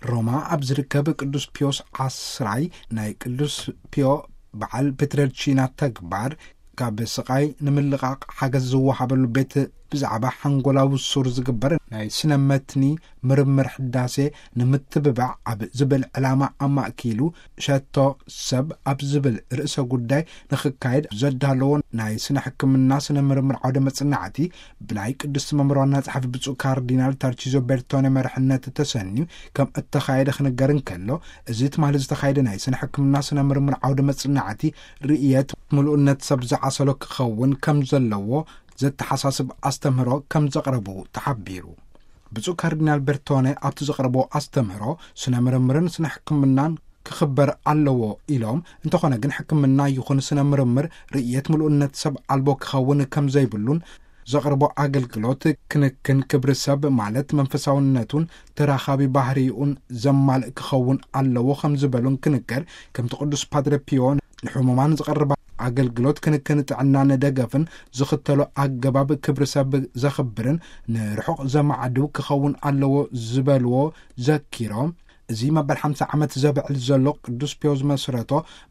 ሮማ ኣብ ዝርከብ ቅዱስ ፒዮስ ዓስራይ ናይ ቅዱስ ፒዮ በዓል ፔትረልቺና ተግባር ካብ ስቓይ ንምልቓቕ ሓገዝ ዝወሃበሉ ቤት ብዛዕባ ሓንጎላዊ ሱር ዝግበር ናይ ስነ መትኒ ምርምር ሕዳሴ ንምትብባዕ ኣብ ዝብል ዕላማ ኣማእኪሉ ሸቶ ሰብ ኣብ ዝብል ርእሰ ጉዳይ ንኽካየድ ዘዳለዎ ናይ ስነ ሕክምና ስነ ምርምር ዓውደ መጽናዕቲ ብናይ ቅድስቲ መንበር ዋና ጸሓፊ ብፁዕ ካርዲናል ታርቺዞ ቤርቶኔ መርሕነት ተሰንዩ ከም እተኻየደ ክንገር እንከሎ፣ እዚ ትማሊ ዝተኻየደ ናይ ስነ ሕክምና ስነ ምርምር ዓውደ መጽናዕቲ ርእየት ምሉእነት ሰብ ዝዓሰሎ ክኸውን ከም ዘለዎ ዘተሓሳስብ ኣስተምህሮ ከም ዘቕረቡ ተሓቢሩ። ብፁዕ ካርዲናል ቤርቶኔ ኣብቲ ዘቕረቦ ኣስተምህሮ፣ ስነ ምርምርን ስነ ሕክምናን ክኽበር ኣለዎ ኢሎም፣ እንተኾነ ግን ሕክምና ይኹን ስነ ምርምር ርእየት ምሉእነት ሰብ ኣልቦ ክኸውን ከም ዘይብሉን፣ ዘቕርቦ ኣገልግሎት ክንክን ክብሪ ሰብ ማለት መንፈሳውነቱን ተራኻቢ ባህሪኡን ዘማልእ ክኸውን ኣለዎ ከም ዝበሉን ክንገር፣ ከምቲ ቅዱስ ፓድረ ፒዮ ንሕሙማን ዝቐርብ ኣገልግሎት ክንክን ጥዕና ንደገፍን ዝኽተሎ ኣገባብ ክብሪ ሰብ ዘኽብርን ንርሑቕ ዘማዕድው ክኸውን ኣለዎ ዝበልዎ ዘኪሮም፣ እዚ መበል ሓምሳ ዓመት ዘብዕል ዘሎ ቅዱስ ፒዮ ዝመስረቶ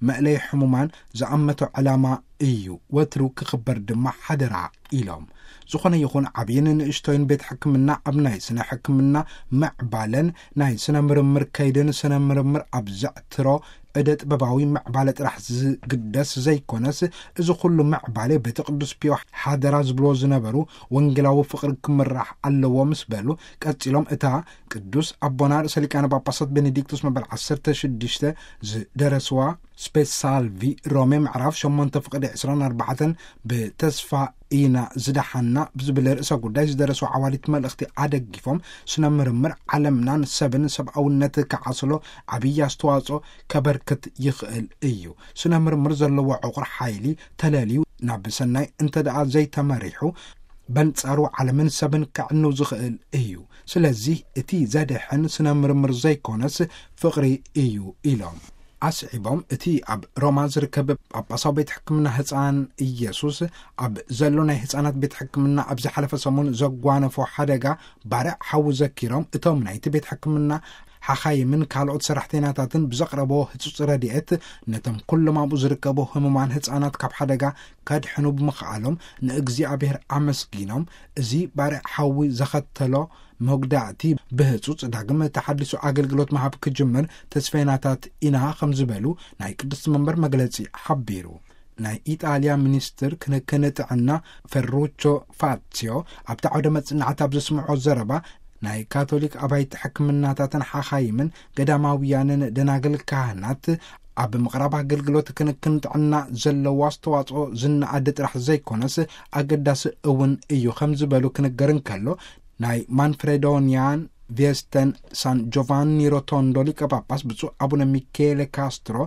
መእለይ ሕሙማን ዝኣመቶ ዕላማ እዩ፣ ወትሩ ክኽበር ድማ ሓደራ ኢሎም። ዝኾነ ይኹን ዓብይን ንእሽቶይን ቤት ሕክምና ኣብ ናይ ስነ ሕክምና ምዕባለን ናይ ስነ ምርምር ከይድን ስነ ምርምር ኣብ ዘዕትሮ እደ ጥበባዊ ምዕባለ ጥራሕ ዝግደስ ዘይኮነስ፣ እዚ ኩሉ ምዕባለ ቤተ ቅዱስ ፒዮ ሓደራ ዝብልዎ ዝነበሩ ወንጌላዊ ፍቕሪ ክምራሕ ኣለዎ ምስ በሉ፣ ቀጺሎም እታ ቅዱስ ኣቦና ርእሰ ሊቃነ ጳጳሳት ቤኔዲክቶስ መበል ዓሰርተ ሽዱሽተ ዝደረስዋ ስፔስ ሳልቪ ሮሜ ምዕራፍ ሸሞንተ ፍቕዲ ዕስራን ኣርባዕተን ብተስፋ ኢና ዝደሓና ብዝብል ርእሰ ጉዳይ ዝደረስዋ ዓዋዲት መልእኽቲ ኣደጊፎም፣ ስነ ምርምር ዓለምናን ሰብን ሰብኣውነት ክዓስሎ ዓብዪ ኣስተዋጽኦ ከበርክት ይኽእል እዩ። ስነ ምርምር ዘለዎ ዕቑር ሓይሊ ተለልዩ ናብ ሰናይ እንተ ደኣ ዘይተመሪሑ፣ በንጻሩ ዓለምን ሰብን ከዕንው ዝኽእል እዩ። ስለዚህ እቲ ዘድሕን ስነ ምርምር ዘይኮነስ ፍቕሪ እዩ ኢሎም። ኣስዒቦም፣ እቲ ኣብ ሮማ ዝርከብ ጳጳሳዊ ቤት ሕክምና ህፃን ኢየሱስ ኣብ ዘሎ ናይ ህፃናት ቤት ሕክምና ኣብ ዝሓለፈ ሰሙን ዘጓነፎ ሓደጋ ባርዕ ሓዊ ዘኪሮም፣ እቶም ናይቲ ቤት ሕክምና ሓኻይምን ካልኦት ሰራሕተኛታትን ብዘቕረቦ ህጹጽ ረድኤት ነቶም ኩሎም ኣብኡ ዝርከቡ ህሙማን ህፃናት ካብ ሓደጋ ከድሕኑ ብምኽኣሎም ንእግዚኣብሔር ኣመስጊኖም፣ እዚ ባርዕ ሓዊ ዘኸተሎ መጉዳእቲ ብህጹጽ ዳግም ተሓዲሱ ኣገልግሎት ምሃብ ክጅምር ተስፈይናታት ኢና ከም ዝበሉ ናይ ቅድስቲ መንበር መግለጺ ሓቢሩ። ናይ ኢጣልያ ሚኒስትር ክንክን ጥዕና ፈሩቾ ፋትሲዮ ኣብቲ ዓውደ መጽናዕቲ ኣብ ዘስምዖ ዘረባ፣ ናይ ካቶሊክ ኣባይቲ ሕክምናታትን ሓኻይምን ገዳማውያንን ደናግል ካህናት ኣብ ምቕራብ ኣገልግሎት ክንክን ጥዕና ዘለዎ ኣስተዋጽኦ ዝነኣድ ጥራሕ ዘይኮነስ ኣገዳሲ እውን እዩ ከም ዝበሉ ክንገር እንከሎ፣ ናይ ማንፍሬዶኒያን ቪየስተን ሳን ጆቫኒ ሮቶንዶ ሊቀ ጳጳስ ብፁዕ ኣቡነ ሚኬለ ካስትሮ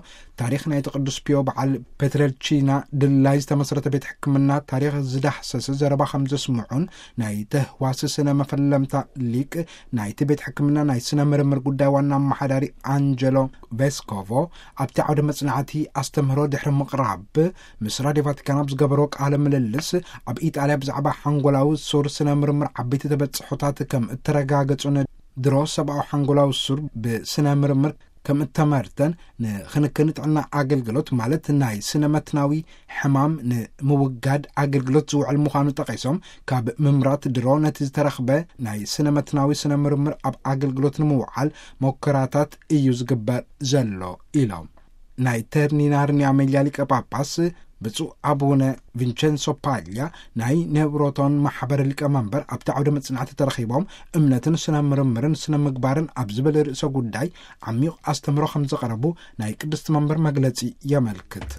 ታሪኽ ናይቲ ቅዱስ ፒዮ በዓል ፔትረልቺና ድላይ ዝተመስረተ ቤት ሕክምና ታሪኽ ዝዳህሰሰ ዘረባ ከም ዘስምዑን፣ ናይ ተህዋሲ ስነ መፈለምታ ሊቅ ናይቲ ቤት ሕክምና ናይ ስነ ምርምር ጉዳይ ዋና ኣመሓዳሪ ኣንጀሎ ቬስኮቮ ኣብቲ ዓውደ መጽናዕቲ ኣስተምህሮ ድሕሪ ምቕራብ ምስ ራድዮ ቫቲካን ኣብ ዝገበሮ ቃለ ምልልስ፣ ኣብ ኢጣልያ ብዛዕባ ሓንጎላዊ ሱር ስነ ምርምር ዓበይቲ ተበጽሖታት ከም እተረጋገጹን ድሮ ሰብኣዊ ሓንጎላዊ ሱር ብስነ ምርምር ከም እተመርተን ንክንክን ጥዕና ኣገልግሎት ማለት ናይ ስነ መትናዊ ሕማም ንምውጋድ ኣገልግሎት ዝውዕል ምዃኑ ጠቒሶም፣ ካብ ምምራት ድሮ ነቲ ዝተረኽበ ናይ ስነ መትናዊ ስነ ምርምር ኣብ ኣገልግሎት ንምውዓል ሞከራታት እዩ ዝግበር ዘሎ ኢሎም። ናይ ተርኒናርኒ ኣሜልያ ሊቀ ጳጳስ ብፁዕ ኣቡነ ቪንቸንሶ ፓልያ ናይ ኔብሮቶን ማሕበር ሊቀ መንበር ኣብቲ ዓውደ መጽናዕቲ ተረኺቦም፣ እምነትን ስነ ምርምርን ስነ ምግባርን ኣብ ዝብል ርእሰ ጉዳይ ዓሚቕ ኣስተምህሮ ከም ዘቕረቡ ናይ ቅድስቲ መንበር መግለጺ የመልክት።